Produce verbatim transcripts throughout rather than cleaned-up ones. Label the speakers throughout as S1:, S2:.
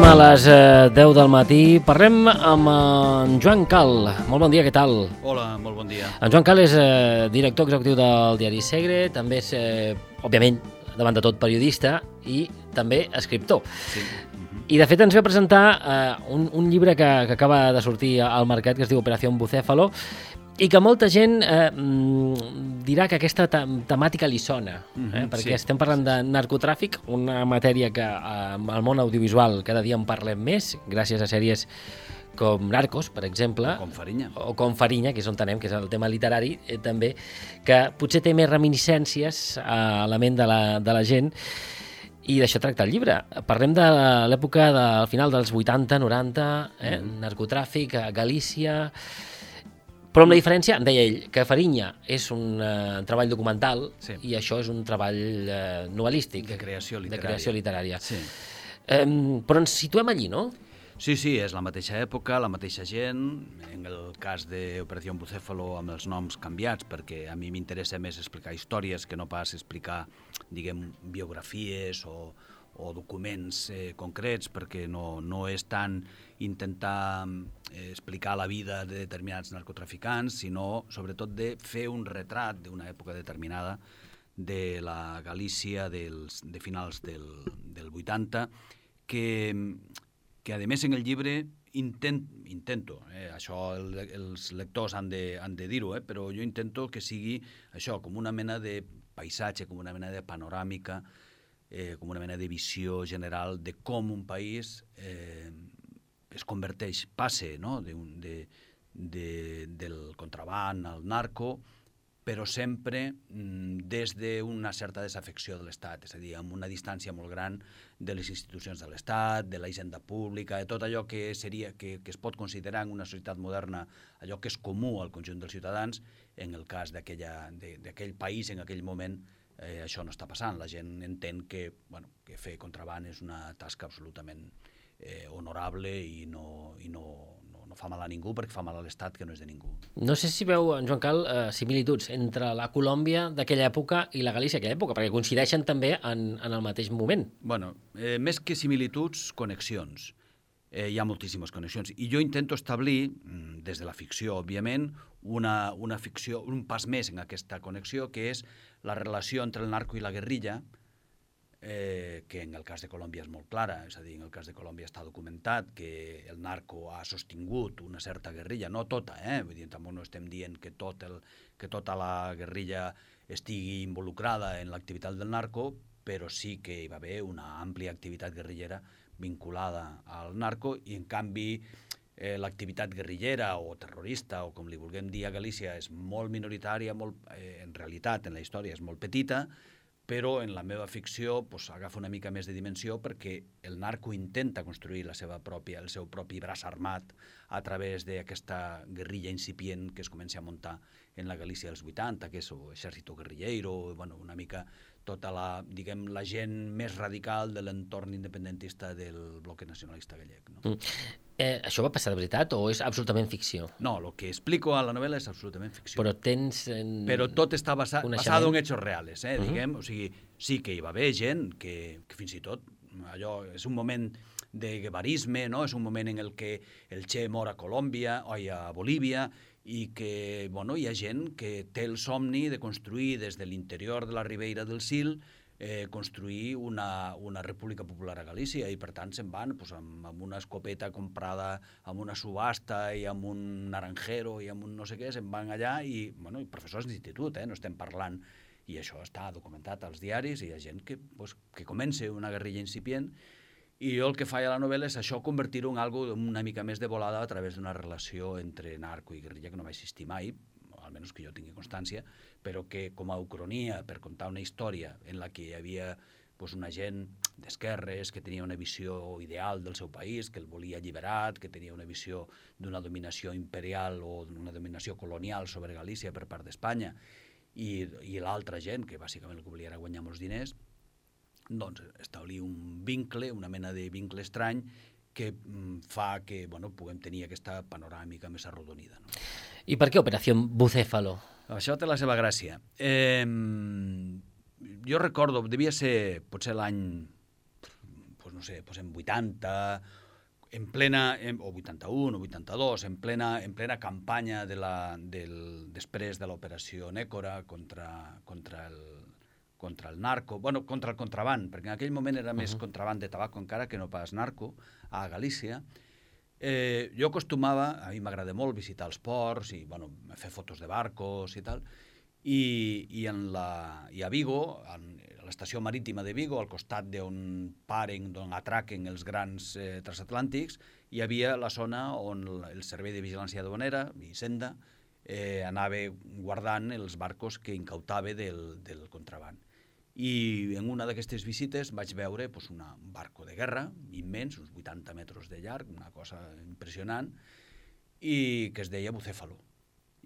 S1: a les eh, deu del matí. Parlem amb en Joan Cal. Molt bon dia, què tal?
S2: Hola, molt bon dia.
S1: En Joan Cal és eh, director executiu del diari Segre, també és, eh, òbviament, davant de tot periodista i també escriptor.
S2: Sí. Uh-huh.
S1: I de fet ens ve a presentar eh, un, un llibre que, que acaba de sortir al mercat que es diu Operació Bucéfalo i que molta gent eh, dirà que aquesta temàtica li sona, eh?
S2: Uh-huh,
S1: perquè
S2: sí.
S1: estem parlant de narcotràfic, una matèria que eh, al món audiovisual cada dia en parlem més, gràcies a sèries com Narcos, per exemple,
S2: O com Farinya.
S1: o com Farinya, que és on tenem, que és el tema literari, eh, també, que potser té més reminiscències a la ment de la, de la gent, i d'això tracta el llibre. Parlem de l'època del final dels vuitanta, noranta, eh? Mm. narcotràfic a Galícia, però amb la diferència, em deia ell, que Farinya és un uh, treball documental
S2: sí.
S1: i això és un treball uh, novel·lístic.
S2: De creació literària.
S1: De creació literària.
S2: Sí.
S1: Um, però ens situem allí, no?
S2: Sí, sí, és la mateixa època, la mateixa gent, en el cas d'Operació Bucéfalo amb els noms canviats, perquè a mi m'interessa més explicar històries que no pas explicar, diguem, biografies o, o documents eh, concrets, perquè no, no és tant intentar eh, explicar la vida de determinats narcotraficants, sinó sobretot de fer un retrat d'una època determinada de la Galícia dels, de finals del, del vuitanta, que... que a més en el llibre intent, intento, eh, això el, els lectors han de, han de dir-ho, eh, però jo intento que sigui això, com una mena de paisatge, com una mena de panoràmica, eh, com una mena de visió general de com un país eh, es converteix, passe no? de un, de, de, del contraban al narco, però sempre mm, des d'una certa desafecció de l'Estat, és a dir, amb una distància molt gran de les institucions de l'Estat, de la hisenda pública, de tot allò que seria que, que es pot considerar en una societat moderna allò que és comú al conjunt dels ciutadans. En el cas d'aquell país, en aquell moment, eh, això no està passant. La gent entén que, bueno, que fer contraban és una tasca absolutament eh, honorable i no... I no no fa mal a ningú perquè fa mal a l'Estat, que no és de ningú.
S1: No sé si veu, en Joan Cal, eh, similituds entre la Colòmbia d'aquella època i la Galícia d'aquella època, perquè coincideixen també en, en el mateix moment.
S2: Bueno, eh, més que similituds, connexions. Eh, hi ha moltíssimes connexions. I jo intento establir, des de la ficció, òbviament, una, una ficció, un pas més en aquesta connexió, que és la relació entre el narco i la guerrilla, Eh, que en el cas de Colòmbia és molt clara, és a dir, en el cas de Colòmbia està documentat que el narco ha sostingut una certa guerrilla, no tota, eh? Vull dir, tampoc no estem dient que, tot el, que tota la guerrilla estigui involucrada en l'activitat del narco, però sí que hi va haver una àmplia activitat guerrillera vinculada al narco i, en canvi, eh, l'activitat guerrillera o terrorista, o com li vulguem dir a Galícia, és molt minoritària, molt, eh, en realitat, en la història és molt petita, però en la meva ficció pues, agafa una mica més de dimensió perquè el narco intenta construir la seva pròpia, el seu propi braç armat a través d'aquesta guerrilla incipient que es comença a muntar en la Galícia dels vuitanta, que és l'exèrcito guerrillero, bueno, una mica tota la, diguem, la gent més radical de l'entorn independentista del bloc nacionalista gallec. No?
S1: Mm. Eh, això va passar de veritat o és absolutament ficció?
S2: No, el que explico a la novel·la és absolutament ficció.
S1: Però tens... En...
S2: Però tot està basa, basat en hechos reales, eh, uh -huh. diguem. O sigui, sí que hi va haver gent que, que fins i tot, allò és un moment de guevarisme, no? És un moment en el que el Che mor a Colòmbia o a Bolívia i que, bueno, hi ha gent que té el somni de construir des de l'interior de la Ribeira del Sil Eh, construir una, una república popular a Galícia i per tant se'n van pues, amb, amb una escopeta comprada amb una subhasta i amb un naranjero i amb un no sé què, se'n van allà i, bueno, i professors d'institut, eh, no estem parlant, i això està documentat als diaris, i hi ha gent que, pues, que comença una guerrilla incipient i jo el que faig a la novel·la és això, convertir-ho en algo una mica més de volada a través d'una relació entre narco i guerrilla que no va existir mai, almenys que jo tingui constància, però que com a ucronia, per contar una història en la que hi havia pues, una gent d'esquerres que tenia una visió ideal del seu país, que el volia alliberat, que tenia una visió d'una dominació imperial o d'una dominació colonial sobre Galícia per part d'Espanya, i, i l'altra gent, que bàsicament el que volia era guanyar molts diners, doncs establir un vincle, una mena de vincle estrany, que fa que bueno, puguem tenir aquesta panoràmica més arrodonida. No?
S1: I per què Operació Bucéfalo?
S2: Això té la seva gràcia. Eh, jo recordo, devia ser potser l'any, pues no sé, pues en vuitanta, en plena, en, o vuitanta-un o vuitanta-dos, en plena, en plena campanya de la, del, després de l'operació Nécora contra, contra, el, contra el narco, bueno, contra el contraband, perquè en aquell moment era més uh-huh. contraband de tabac encara que no pas narco, a Galícia. Eh, jo acostumava, a mi m'agrada molt visitar els ports i bueno, fer fotos de barcos i tal, i, i, en la, i a Vigo, en, a l'estació marítima de Vigo, al costat d'on paren, d'on atraquen els grans eh, transatlàntics, hi havia la zona on el Servei de Vigilància Aduanera, Hisenda, eh, anava guardant els barcos que incautava del, del contraband. I en una d'aquestes visites vaig veure pues, una, un barco de guerra immens, uns vuitanta metres de llarg, una cosa impressionant, i que es deia Bucéfalo,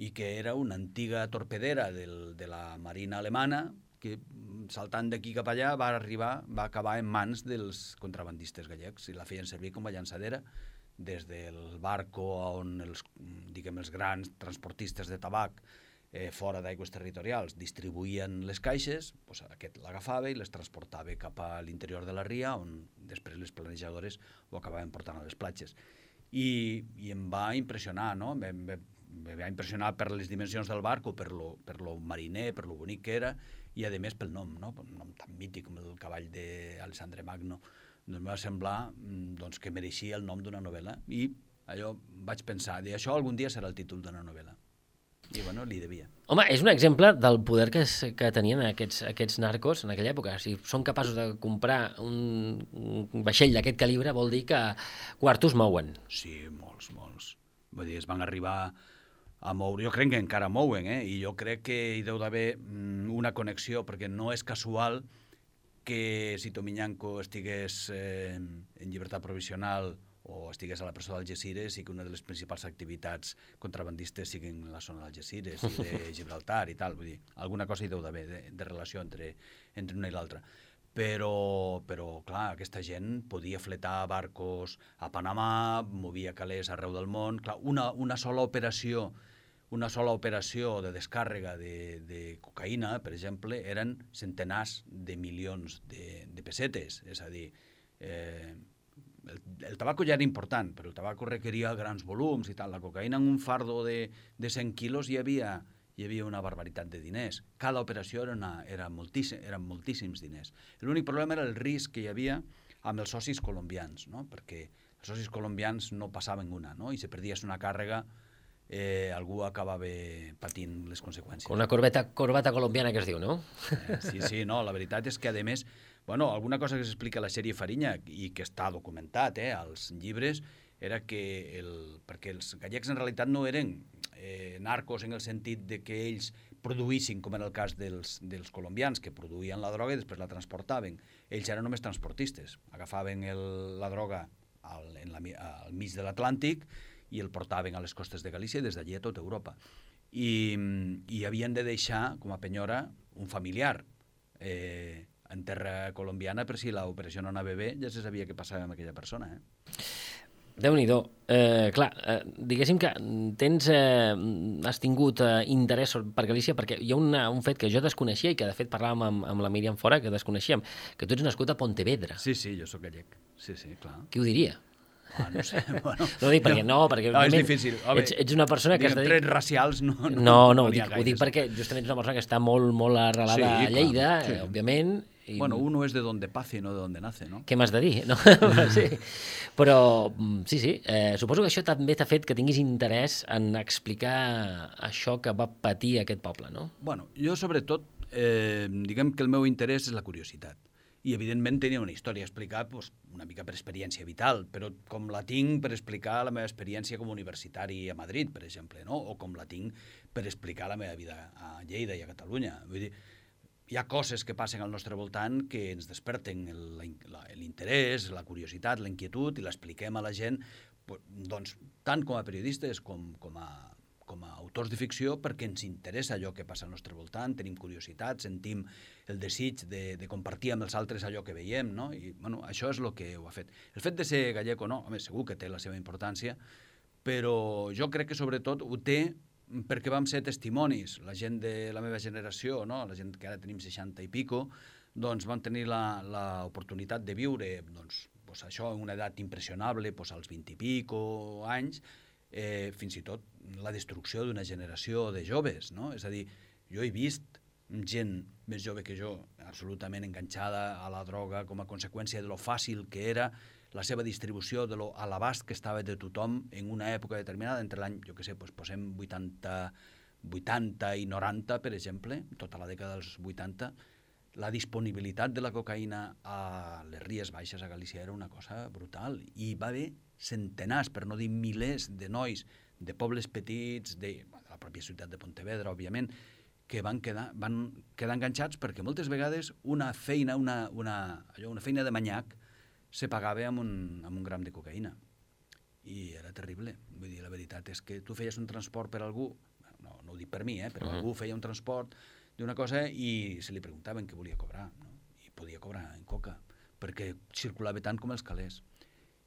S2: i que era una antiga torpedera del, de la marina alemana que, saltant d'aquí cap allà, va arribar, va acabar en mans dels contrabandistes gallecs i la feien servir com a llançadera des del barco on els, diguem, els grans transportistes de tabac Eh, fora d'aigües territorials, distribuïen les caixes, doncs aquest l'agafava i les transportava cap a l'interior de la ria, on després les planejadores ho acabaven portant a les platges. I, i em va impressionar, no? Em, em, em va impressionar per les dimensions del barco, per lo, per lo mariner, per lo bonic que era, i a més pel nom, no? Un nom tan mític com el cavall d'Alessandre Magno. Doncs em va semblar doncs, que mereixia el nom d'una novel·la, i allò vaig pensar, això algun dia serà el títol d'una novel·la. I, bueno, li devia.
S1: Home, és un exemple del poder que, que tenien aquests, aquests narcos en aquella època. Si són capaços de comprar un, un vaixell d'aquest calibre, vol dir que quartos mouen.
S2: Sí, molts, molts. Vull dir, es van arribar a moure. Jo crec que encara mouen, eh? I jo crec que hi deu d'haver una connexió, perquè no és casual que si Tomiñanco estigués eh, en llibertat provisional o estigués a la presó d'Algesires i que una de les principals activitats contrabandistes siguin la zona d'Algesires i de Gibraltar i tal. Vull dir, alguna cosa hi deu d'haver de, de relació entre, entre una i l'altra. Però, però, clar, aquesta gent podia fletar barcos a Panamà, movia calés arreu del món. Clar, una, una sola operació una sola operació de descàrrega de, de cocaïna, per exemple, eren centenars de milions de, de pessetes. És a dir, eh, El, el tabaco ja era important, però el tabaco requeria grans volums i tal. La cocaïna en un fardo de, de cent quilos hi havia, hi havia una barbaritat de diners. Cada operació era, una, era moltíssim, eren moltíssims diners. L'únic problema era el risc que hi havia amb els socis colombians, no? Perquè els socis colombians no passaven una, no? I si perdies una càrrega, eh, algú acabava patint les conseqüències.
S1: Una corbeta, corbata colombiana que es diu, no?
S2: Eh, sí, sí, no, la veritat és que, a més, bueno, alguna cosa que s'explica a la sèrie Fariña i que està documentat eh, als llibres era que, el, perquè els gallecs en realitat no eren eh, narcos en el sentit de que ells produïssin, com en el cas dels, dels colombians, que produïen la droga i després la transportaven. Ells eren només transportistes. Agafaven el, la droga al, en la, al mig de l'Atlàntic i el portaven a les costes de Galícia i des d'allí a tota Europa. I, i havien de deixar, com a penyora, un familiar eh, en terra colombiana, per si l'operació no anava bé, ja se sabia què passava amb aquella persona. Eh?
S1: Déu-n'hi-do. Eh, clar, eh, diguéssim que tens, eh, has tingut eh, interès per Galícia, perquè hi ha una, un fet que jo desconeixia i que de fet parlàvem amb, amb la Míriam Fora, que desconeixíem, que tu ets nascut a Pontevedra.
S2: Sí, sí, jo sóc gallec. Sí, sí, clar.
S1: Qui ho diria?
S2: Ah, no sé, bueno...
S1: No dic perquè no, perquè...
S2: No, és difícil. Home,
S1: ets, ets una persona que...
S2: Diguem, trets racials no...
S1: No, no, no ho, dic, ho dic perquè justament ets una persona que està molt, molt arrelada sí, a Lleida, clar, sí. eh, òbviament.
S2: I... Bueno, uno és de donde pace, no de donde nace, no?
S1: Què m'has de dir? No? Sí. Però, sí, sí, eh, suposo que això també t'ha fet que tinguis interès en explicar això que va patir aquest poble, no?
S2: Bueno, jo sobretot, eh, diguem que el meu interès és la curiositat. I, evidentment, tenia una història a explicar doncs, una mica per experiència vital, però com la tinc per explicar la meva experiència com a universitari a Madrid, per exemple, no? O com la tinc per explicar la meva vida a Lleida i a Catalunya. Vull dir, hi ha coses que passen al nostre voltant que ens desperten l'interès, la curiositat, la inquietud, i l'expliquem a la gent, doncs, tant com a periodistes com, com a com a autors de ficció, perquè ens interessa allò que passa al nostre voltant, tenim curiositat, sentim el desig de, de compartir amb els altres allò que veiem, no? I, bueno, això és el que ho ha fet. El fet de ser gallec o no, home, segur que té la seva importància, però jo crec que sobretot ho té perquè vam ser testimonis, la gent de la meva generació, no? La gent que ara tenim seixanta i pico, doncs vam tenir l'oportunitat de viure doncs, pues això, en una edat impressionable, pues als vint i pico anys, eh, fins i tot la destrucció d'una generació de joves, no? És a dir, jo he vist gent més jove que jo absolutament enganxada a la droga com a conseqüència de lo fàcil que era la seva distribució, de lo a l'abast que estava de tothom en una època determinada, entre l'any, jo què sé, doncs posem vuitanta, vuitanta i noranta, per exemple, tota la dècada dels vuitanta, la disponibilitat de la cocaïna a les Ries Baixes a Galícia era una cosa brutal. I va haver centenars, per no dir milers, de nois de pobles petits, de, de la pròpia ciutat de Pontevedra, òbviament, que van quedar, van quedar enganxats perquè moltes vegades una feina, una, una, allò, una feina de manyac se pagava amb un, amb un gram de cocaïna. I era terrible. Vull dir, la veritat és que tu feies un transport per algú, no, no ho dic per mi, eh, però uh -huh. algú feia un transport d'una cosa i se li preguntaven què volia cobrar, no? I podia cobrar en coca, perquè circulava tant com els calés.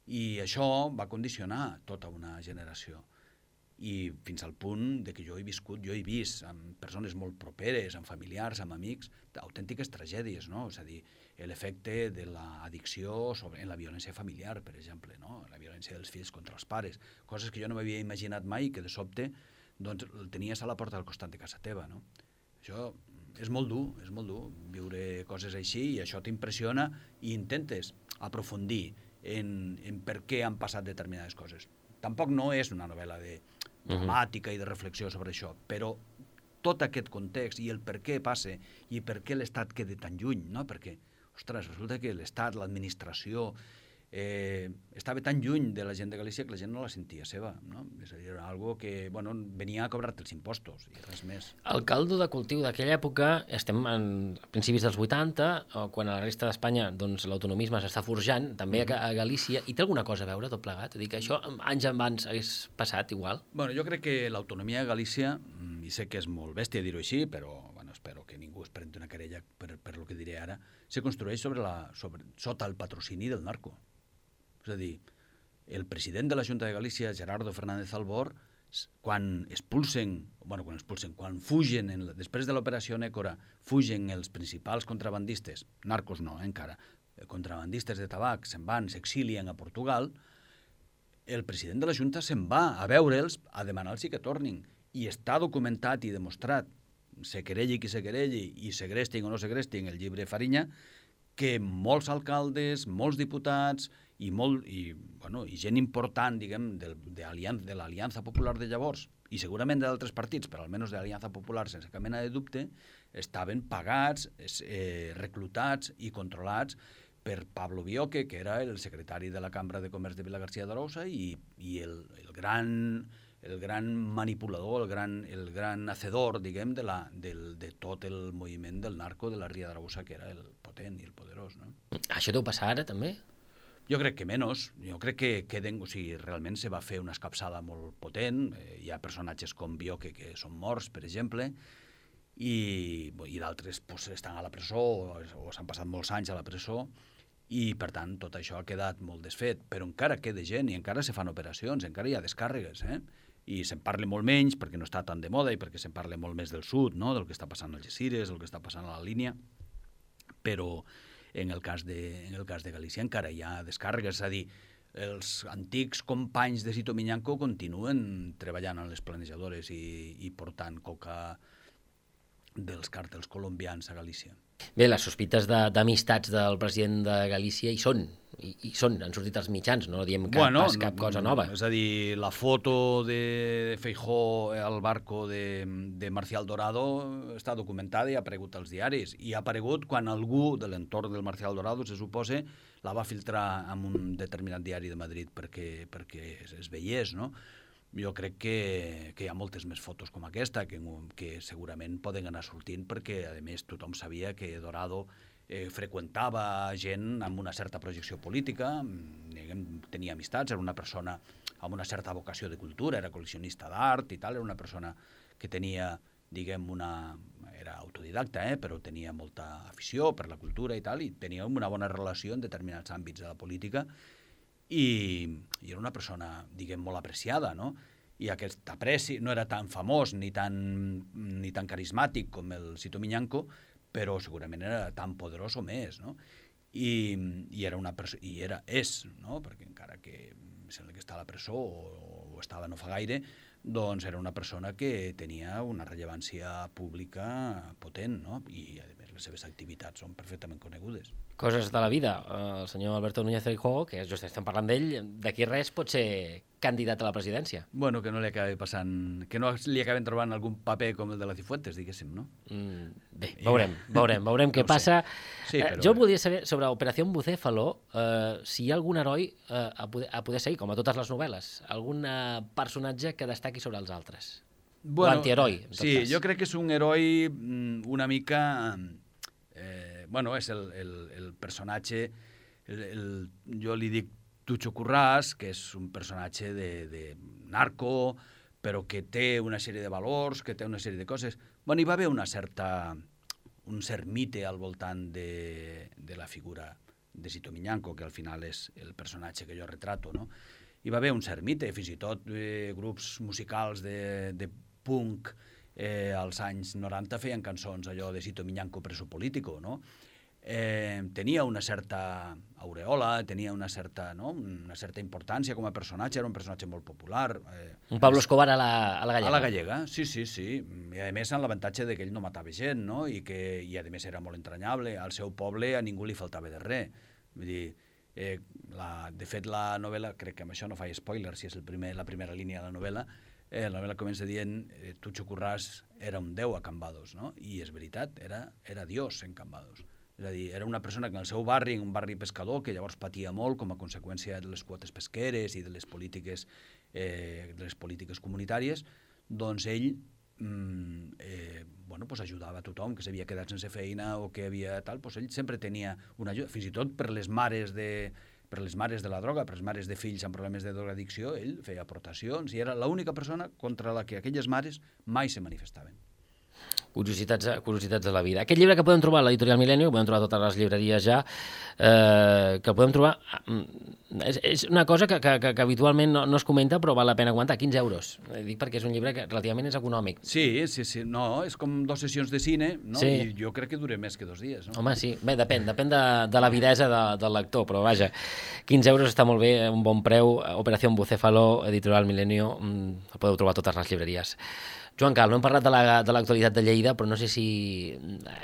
S2: I això va condicionar tota una generació. I fins al punt de que jo he viscut, jo he vist amb persones molt properes, amb familiars, amb amics, autèntiques tragèdies, no? És a dir, l'efecte de l'addicció sobre, en la violència familiar, per exemple, no? La violència dels fills contra els pares, coses que jo no m'havia imaginat mai, que de sobte doncs, el tenies a la porta del costat de casa teva, no? Això és molt dur, és molt dur viure coses així, i això t'impressiona i intentes aprofundir en, en per què han passat determinades coses. Tampoc no és una novel·la de dramàtica i de reflexió sobre això, però tot aquest context i el per què passa i per què l'Estat queda tan lluny, no? Perquè, ostres, resulta que l'Estat, l'administració, eh, estava tan lluny de la gent de Galícia que la gent no la sentia seva, no? És a dir, era algo que, bueno, venia a cobrar-te els impostos i res més.
S1: El caldo de cultiu d'aquella època, estem en principis dels vuitanta, quan a la resta d'Espanya doncs, l'autonomisme s'està forjant, també a, a Galícia, i té alguna cosa a veure tot plegat? És a dir, que això anys abans hagués passat igual?
S2: Bueno, jo crec que l'autonomia de Galícia, i sé que és molt bèstia dir-ho així, però bueno, espero que ningú es prengui una querella per, per lo que diré ara, se construeix sobre la, sobre, sota el patrocini del narco. És a dir, el president de la Junta de Galícia, Gerardo Fernández Albor, quan expulsen, bueno, quan expulsen, quan fugen, en, després de l'operació Nécora, fugen els principals contrabandistes, narcos no, eh, encara, contrabandistes de tabac, se'n van, s'exilien a Portugal, el president de la Junta se'n va a veure'ls, a demanar-los que tornin, i està documentat i demostrat, se querelli qui se querelli, i segrestin o no segrestin el llibre Fariña, que molts alcaldes, molts diputats i, molt, i, bueno, i gent important, diguem, de, de, de l'Aliança Popular de llavors, i segurament d'altres partits, però almenys de l'Aliança Popular, sense cap mena de dubte, estaven pagats, eh, reclutats i controlats per Pablo Bioque, que era el secretari de la Cambra de Comerç de Vilagarcía d'Arousa i, i el, el gran... el gran manipulador, el gran, el gran hacedor, diguem, de, la, del, de tot el moviment del narco de la Ria d'Arousa, que era el potent i el poderós, no?
S1: Això deu passar ara, també?
S2: Jo crec que menys. Jo crec que queden, o sigui, realment se va fer una escapçada molt potent. Eh, hi ha personatges com Bioque que són morts, per exemple, i, i d'altres pues, estan a la presó o, o s'han passat molts anys a la presó, i, per tant, tot això ha quedat molt desfet. Però encara queda gent i encara se fan operacions, encara hi ha descàrregues, eh? I se'n parla molt menys perquè no està tan de moda i perquè se'n parla molt més del sud, no? Del que està passant a Algesires, del que està passant a la línia, però en el cas de, en el cas de Galícia encara hi ha descàrregues, és a dir, els antics companys de Sito Miñanco continuen treballant en les planejadores i, i portant coca dels càrtels colombians a Galícia.
S1: Bé, les sospites d'amistats de, del president de Galícia hi són, i, i són, han sortit als mitjans, no diem cap,
S2: bueno,
S1: pas cap cosa nova.
S2: És a dir, la foto de Feijóo al barco de, de Marcial Dorado està documentada i ha aparegut als diaris, i ha aparegut quan algú de l'entorn del Marcial Dorado, se suposa, la va filtrar en un determinat diari de Madrid perquè, perquè es, es veiés, no? Jo crec que, que hi ha moltes més fotos com aquesta que, que segurament poden anar sortint perquè, a més, tothom sabia que Dorado eh, freqüentava gent amb una certa projecció política, diguem, tenia amistats, era una persona amb una certa vocació de cultura, era col·leccionista d'art i tal, era una persona que tenia, diguem, una... era autodidacta, eh, però tenia molta afició per la cultura i tal, i tenia una bona relació en determinats àmbits de la política, I, i era una persona, diguem, molt apreciada, no? I aquest apreci no era tan famós ni tan, ni tan carismàtic com el Sito Miñanco, però segurament era tan poderós o més, no? i, i era una persona, i era, és, no? Perquè encara que sembla que està a la presó o, o estava no fa gaire, doncs era una persona que tenia una rellevància pública potent, no? I, a més, les seves activitats són perfectament conegudes.
S1: Coses de la vida. El senyor Alberto Núñez Feijóo, que just estem parlant d'ell, d'aquí res pot ser candidat a la presidència.
S2: Bueno, que no li acabi passant... Que no li acaben trobant algun paper com el de la Cifuentes, diguéssim, no?
S1: Mm, bé, veurem, veurem, veurem què
S2: no
S1: passa.
S2: Sí, però...
S1: eh, jo voldria saber, sobre Operació Bucéfalo, eh, si hi ha algun heroi eh, a, poder, a poder seguir, com a totes les novel·les, algun eh, personatge que destaqui sobre els altres.
S2: Bueno,
S1: l'antiheroi, en tot
S2: sí,
S1: cas.
S2: jo crec que és un heroi una mica... Eh, bueno, és el, el, el personatge... El, el, jo li dic Tucho Currás, que és un personatge de, de narco, però que té una sèrie de valors, que té una sèrie de coses. Bueno, hi va haver una certa, un cert mite al voltant de, de la figura de Sito Miñanco, que al final és el personatge que jo retrato, no? Hi va haver un cert mite, fins i tot eh, grups musicals de, de punk eh, als anys noranta feien cançons allò de Sito Miñanco preso político, no? Eh, tenia una certa aureola, tenia una certa, no? una certa importància com a personatge, era un personatge molt popular. Eh,
S1: un Pablo Escobar a la, a la gallega.
S2: A la gallega, sí, sí, sí. I a més amb l'avantatge de que ell no matava gent, no? I que i a més era molt entranyable. Al seu poble a ningú li faltava de res. Vull dir, eh, la, de fet la novel·la, crec que amb això no faig spoiler, si és el primer, la primera línia de la novel·la, eh, la novel·la comença dient eh, Tucho Currás era un déu a Cambados, no? I és veritat, era, era Dios en Cambados. És a dir, era una persona que en el seu barri, en un barri pescador, que llavors patia molt com a conseqüència de les quotes pesqueres i de les polítiques, eh, de les polítiques comunitàries, doncs ell mm, eh, bueno, pues ajudava a tothom que s'havia quedat sense feina o que havia tal, pues ell sempre tenia una ajuda, fins i tot per les mares de, per les mares de la droga, per les mares de fills amb problemes de drogadicció, ell feia aportacions i era l'única persona contra la que aquelles mares mai se manifestaven.
S1: Curiositats, curiositats de la vida. Aquest llibre que podem trobar a l'Editorial Milenio, que podem trobar a totes les llibreries ja, eh, que el podem trobar... És, és una cosa que, que, que habitualment no, no es comenta, però val la pena aguantar, quinze euros. Dic perquè és un llibre que relativament és econòmic.
S2: Sí, sí, sí. No, és com dues sessions de cine, no?
S1: Sí.
S2: I jo crec que dura més que dos dies, no?
S1: Home, sí. Bé, depèn, depèn de, de l'avidesa de, del lector, però vaja, quinze euros està molt bé, un bon preu. Operació Bucéfalo, Editorial Milenio, el podeu trobar a totes les llibreries. Joan Cal, no hem parlat de l'actualitat de, de Lleida, però no sé si...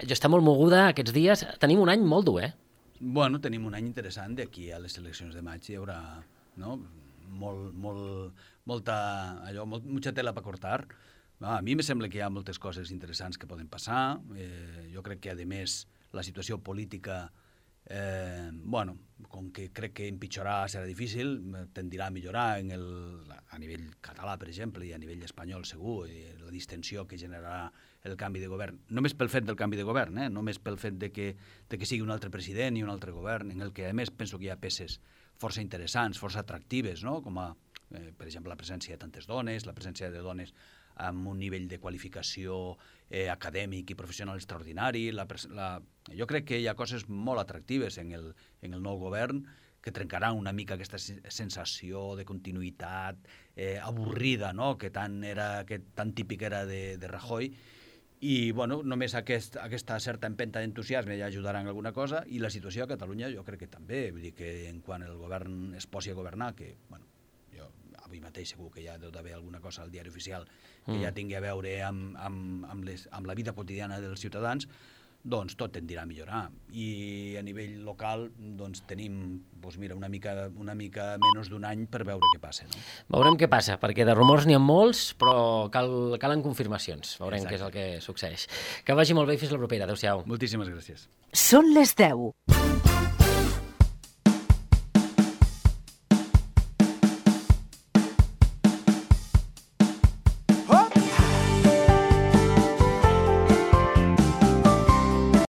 S1: Jo està molt moguda aquests dies. Tenim un any molt dur, eh?
S2: Bueno, tenim un any interessant. D'aquí a les eleccions de maig hi haurà, no? molt, molt, molta, allò, molt, mucha tela per cortar. A mi me sembla que hi ha moltes coses interessants que poden passar. Eh, jo crec que, a més, la situació política... Eh, bueno, com que crec que empitjorar serà difícil, tendirà a millorar en el, a nivell català, per exemple, i a nivell espanyol segur, i la distensió que generarà el canvi de govern, només pel fet del canvi de govern, eh? només pel fet de que, de que sigui un altre president i un altre govern, en el que a més penso que hi ha peces força interessants, força atractives, no? Com a, eh, per exemple, la presència de tantes dones, la presència de dones amb un nivell de qualificació eh, acadèmic i professional extraordinari. La, la, jo crec que hi ha coses molt atractives en el, en el nou govern que trencaran una mica aquesta sensació de continuïtat eh, avorrida, no? que, tan era, que tan típic era de, de Rajoy. I bueno, només aquest, aquesta certa empenta d'entusiasme ja ajudarà en alguna cosa, i la situació a Catalunya jo crec que també. Vull dir que en quan el govern es posi a governar, que bueno, avui mateix segur que hi ha d'haver alguna cosa al diari oficial que mm. ja tingui a veure amb, amb, amb, les, amb la vida quotidiana dels ciutadans, doncs tot tendirà a millorar. I a nivell local doncs tenim doncs mira, una, mica, una mica menys d'un any per veure què passa. No?
S1: Veurem què passa, perquè de rumors n'hi ha molts, però cal, calen confirmacions. Veurem Exacte. Què és el que succeeix. Que vagi molt bé i fins la propera. Adéu-siau.
S2: Moltíssimes gràcies.
S3: Són les deu.